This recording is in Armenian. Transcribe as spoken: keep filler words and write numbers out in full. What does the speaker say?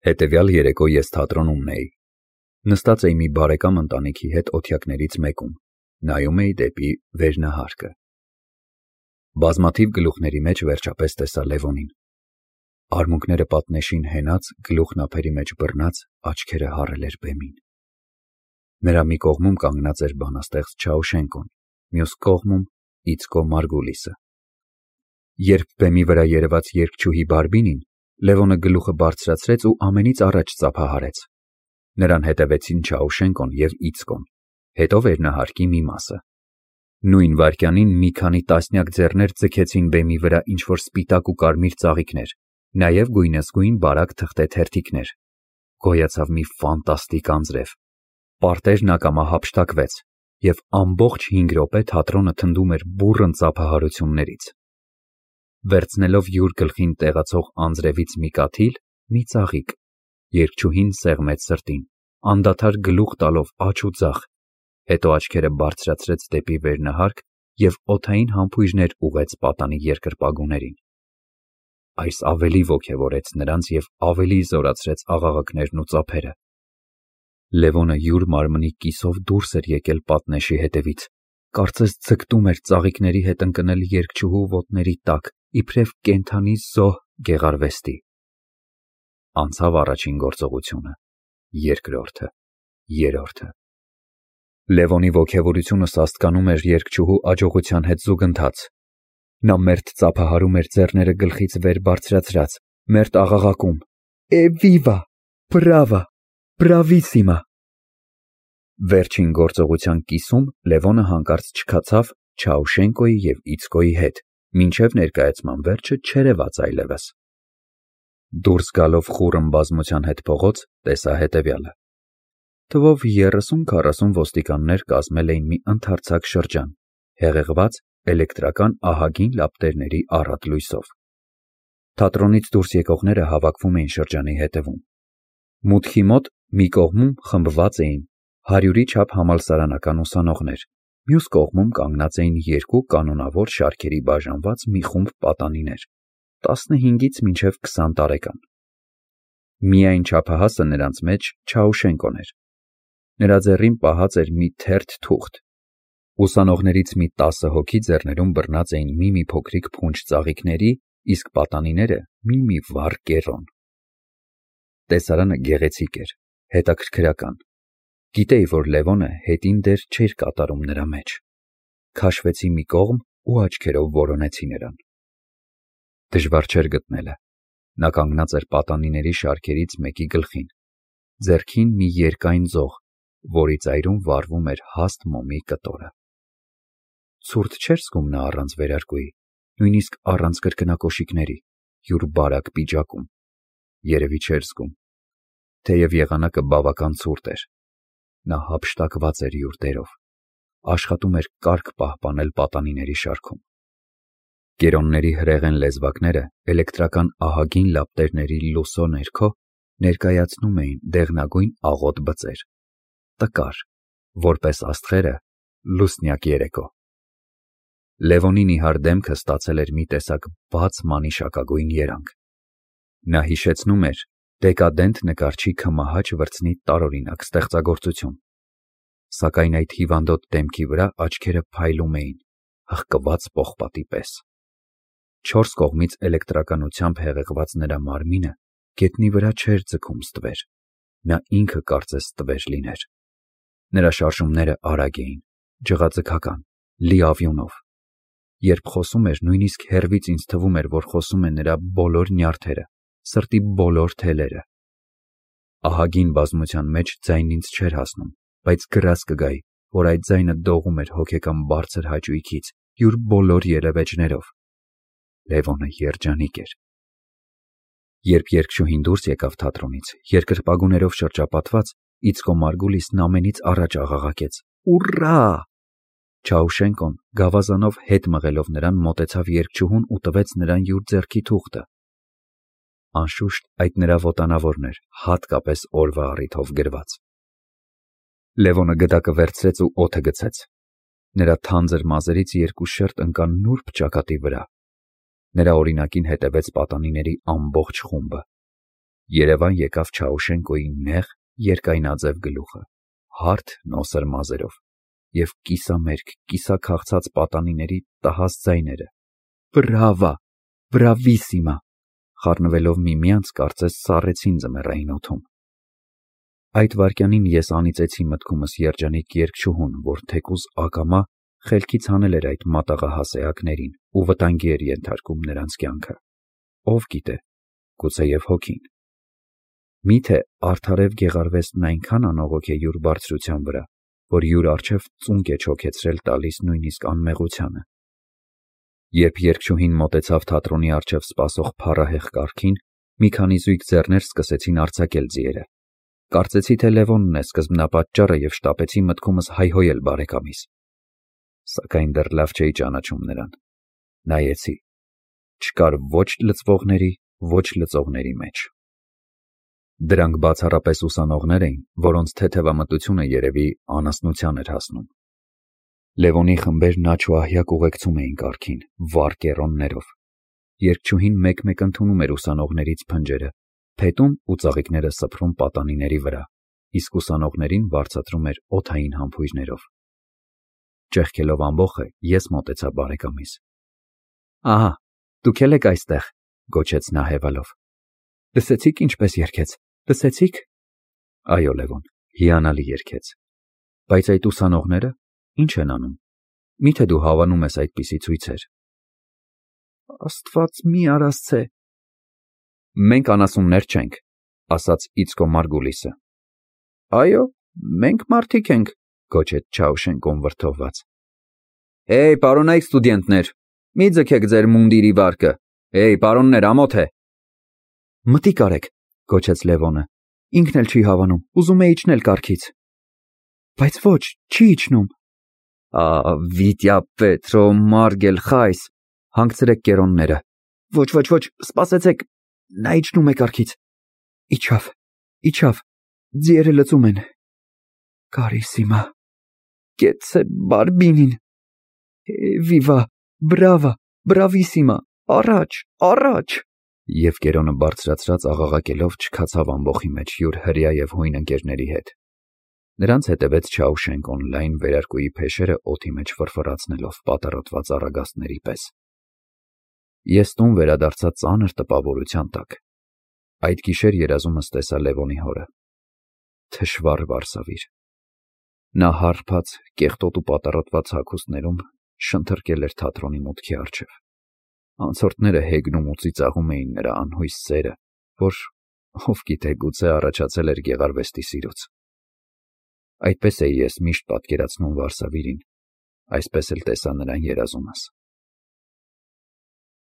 Հետևյալ երեկո ես թատրոնում էի։ Նստած էի մի բարեկամ ընտանիքի հետ օթյակներից մեկում, նայում էի դեպի վերնահարկը։ Բազմաթիվ գլուխների մեջ վերջապես տեսա Լևոնին։ Արմունկները պատնեշին հենած, գլուխն ափերի մեջ բռնած, աչքերը հառել էր բեմին։ Նրա մի կողմում կանգնած էր բանաստեղծ Չաուշենկոն, մյուս կողմում Իցկո Մարգուլիսը։ Երբ բեմի վրա երևաց երգչուհի Բարբինին, Լևոնը գլուխը բարձրացրեց ու ամենից առաջ ծափահարեց։ Նրան հետևեցին Չաուշենկոն և Իցկոն, հետո վերնահարկի մի մասը։ Նույն վայրկյանին մի քանի տասնյակ ձեռներ ձգեցին բեմի վրա ինչ-որ սպիտակ ու կարմիր ծաղիկներ, նաև գույնզգույն բարակ թղթե թերթիկներ։ Գոյացավ մի ֆանտաստիկ անձրև։ Պարտեզն ակամա հափշտակվեց, և ամբողջ հինգ րոպե թատրոնը թնդում էր բուռն ծափահարություններից։ Վերցնելով յուր գլխին տեղացող անձրևից մի կաթիլ, մի ծաղիկ, երգչուհին սեղմեց սրտին, անդադար գլուխ տալով աջ ու ձախ, հետո աչքերը բարձրացրեց դեպի վերնահարկ և օդային համբույրներ ուղղեց պատանի երկրպագուներին։ Այս ավելի ոգևորեց նրանց և ավելի զորացրեց աղաղակներն ու ծափերը։ Լևոնը յուր մարմնի կիսով դուրս էր եկել պատնեշի հետևից, կարծես ձգտում էր ծաղիկների հետ ընկնել երգչուհու ոտների տակ, իբրև կենդանի զոհ գեղարվեստի։ Անցավ առաջին գործողությունը, երկրորդը, երրորդը։ Լևոնի ոգևորությունը սաստկանում էր երգչուհու աջողության հետ զուգընթաց։ Նա մերթ ծափահարում էր ձեռները գլխից վեր բարձրացրած, մերթ աղաղակում. «Էվիվա, բրավա, բրավիսիմա»։ Վերջին գործողության կիսում Լևոնը հանկարծ չքացավ Չաուշենկոյի և Իցկոյի հետ, մինչև ներկայացման վերջը չերևաց այլևս։ Դուրս գալով խուռն բազմության հետ փողոց, տեսա հետևյալը. Թվով երեսուն-քառասուն ոստիկաններ կազմել էին մի ընդարձակ շրջան, հեղեղված էլեկտրական ահագին լապտերների առատ լույսով։ Թատրոնից դուրս եկողները հավաքվում էին շրջանի հետևում։ Մուտքի մոտ մի կողմում խմբված էին հարյուրի չափ համալսարանական ուսանողներ, մյուս կողմում կանգնած էին երկու կանոնավոր շարքերի բաժանված մի խումբ պատանիներ, տասնհինգից մինչև քսան տարեկան։ Միայն չափահասը նրանց մեջ Չաուշենկոն էր։ Նրա ձեռին պահած էր մի թերթ թուղթ։ Ուսանողներից մի տասը հոգի ձեռներում բռնած էին մի-մի փոքրիկ փունջ ծաղիկների, իսկ պատանիները մի-մի վառ կեռոն։ Տեսարանը գեղեցիկ էր, հետաքրքրական։ Գիտեի, որ Լևոնը հետին դեր չէր կատարում նրա մեջ։ Քաշվեցի մի կողմ ու աչքերով որոնեցի նրան։ Դժվար չէր գտնելը։ Նա կանգնած էր պատանիների շարքերից մեկի գլխին, ձեռքին մի երկայն ձող, որի ծայրում վառվում էր հաստ մոմի կտորը։ Ցուրտ չէր զգում նա առանց վերարկուի, նույնիսկ առանց կրկնակոշիկների, յուր բարակ պիջակում։ Երևի չէր զգում, թեև եղանակը բավական ցուրտ էր։ Նա հափշտակված էր յուր դերով, աշխատում էր կարգ պահպանել պատանիների շարքում։ Կերոնների հրեղեն լեզվակները էլեկտրական ահագին լապտերների լուսո ներքո ներկայացնում էին դեղնագույն աղոտ բծեր, տկար, որպես աստղերը լուսնյակ երեկո։ Լևոնի նիհար դեմքը ստացել էր մի տեսակ բաց մանիշակագույն երանգ։ Նա հիշեցնում էր դեկադենտ նկարչի քմահաճ վրձնի տարօրինակ ստեղծագործություն։ Սակայն այդ հիվանդոտ դեմքի վրա աչքերը փայլում էին, հղկված պողպատի պես։ Չորս կողմից էլեկտրականությամբ հեղեղված նրա մարմինը գետնի վրա չէր ձգում ստվեր, նա ինքը կարծես ստվեր լիներ։ Նրա շարժումները արագ էին, ջղաձգական, լիավյունով։ Երբ խոսում էր, նույնիսկ հեռվից ինձ թվում էր, որ խոսում է նրա բոլոր նյարդերը, սրտի բոլոր թելերը։ Ահագին բազմության մեջ ձայնն ինձ չէր հասնում, բայց գրազ կգայի, որ այդ ձայնը դողում էր հոգեկան բարձր հաճույքից, յուր բոլոր ելևէջներով։ Լևոնը երջանիկ էր։ Երբ երգչուհին դուրս եկավ թատրոնից, երկրպագուներով շրջապատված, Իցկո Մարգուլիսն ամենից առաջ աղաղակեց. «Ուռա»։ Չաուշենկոն գավազանով հետ մղելով նրան մոտեցավ երգչուհուն ու տվեց նրան յուր ձեռքի թուղթը։ Անշուշտ այդ նրա ոտանավորն էր, հատկապես օրվա առիթով գրված։ Լևոնը գդակը վերցրեց ու օդը գցեց։ Նրա թանձր մազերից երկու շերտ ընկան նուրբ ճակատի վրա։ Նրա օրինակին հետևեց պատանիների ամբողջ խումբը։ Երևան եկավ Չաուշենկոյի նեղ, երկայնաձև գլուխը, հարթ նոսր մազերով և կիսամերկ, կիսաքաղցած պատանիների տհաս ձայները. «Բրավա, բրավիսիմա», խառնվելով միմյանց, կարծես սառեցին ձմեռային օդում։ Այդ վայրկյանին ես անիծեցի մտքումս երջանիկ երգչուհուն, որ թեկուզ ակամա խելքից հանել էր այդ մատաղահաս էակներին ու վտանգի էր ենթարկում նրանց կյանքը։ Ով գիտե, գուցեև հոգին։ Միթե արդարև Գեղարվեստն այնքան անողոք է յուր բարձրության վրա, որ յուր առջև ծունկ է չոքեցրել տալիս նույնիսկ անմեղությանը։ Երբ երգչուհին մոտեցավ թատրոնի առջև սպասող փառահեղ կառքին, մի քանի զույգ ձեռներ սկսեցին արձակել ձիերը։ Կարծեցի, թե Լևոնն է սկզբնապատճառը և շտապեցի մտքումս հայհոյել բարեկամիս։ Սակայն դեռ լավ չէի ճանաչում նրան։ Նայեցի։ Չկար ոչ լծվողների, ոչ լծողների մեջ։ Դրանք բացառապես ուսանողներ էին, որոնց թեթևամտությունը երևի անասնության էր հասնում։ Լևոնի խմբերն աջ ու ահյակ ուղեկցում էին կառքին, վառ կեռոններով։ Երգչուհին մեկ-մեկ ընդունում էր ուսանողներից փնջերը, փետում ու ծաղիկները սփռում պատանիների վրա, իսկ ուսանողներին վարձատրում էր օդային համբույրներով։ Ճեղքելով ամբոխը, ես մոտեցա բարեկամիս։ «Ահա, դուք էլ եք այստեղ», գոչեց նա հևալով։ «Լսեցի՞ք ինչպես երգեց, լսեցի՞ք»։ Այո, Լևոն, հիանալի երգեց։ Բայց այդ ուսանողները ի՞նչ են անում։ Միթե դու հավանում ես այդպիսի ցույցեր։ Աստված մի արասցե։ Մենք անասուններ չենք, ասաց Իցկո Մարգուլիսը։ Այո, մենք մարդիկ ենք, գոչեց Չաուշենկոն վրդովված։ Հեյ, պարոնայք ստուդենտներ, մի ձգեք ձեր մունդիրի վարկը։ Հեյ, պարոններ, ամոթ է։ Մտիկ արեք, գոչեց Լևոնը։ Ինքն էլ չի հավանում, ուզում է իջնել կառքից։ Բայց ոչ, չի իջնում։ Ա, Վիտյա Պետրո Մարգել Խայս, հանգցրեք կերոնները։ Ոչ, ոչ, ոչ, սպասեցեք, նա իջնում է կառքից։ Իջավ, իջավ, ձիերը լծում են։ Կարիսիմա, կեցցե բարբինին։ Վիվա, բրավա, բրավիսիմա, առաջ, առաջ։ Եվ կերոնը բարձրացրած աղաղակելով չքացավ ամբոխի մեջ յուր հրեա և հույն ընկերների հետ։ Նրանց հետևեց Չաուշենկոն լայն վերարկուի փեշերը օդի մեջ ֆռֆռացնելով պատառոտված առագաստների պես։ Ես տուն վերադարձա ծանր տպավորության տակ։ Այդ գիշեր երազումս տեսա Լևոնի հորը։ Թշվառ վարսավիր։ Նա հարբած, կեղտոտ ու պատառոտված հագուստներում շնթռկել էր թատրոնի մուտքի առջև։ Անցորդները հեգնում ու ծիծաղում էին նրա անհույս սերը, որ, ով գիտե, գուցե առաջացել էր Գեղարվեստի սիրուց։ Այդպես էի ես միշտ պատկերացնում վարսավիրին, այսպես էլ տեսա նրան երազումս։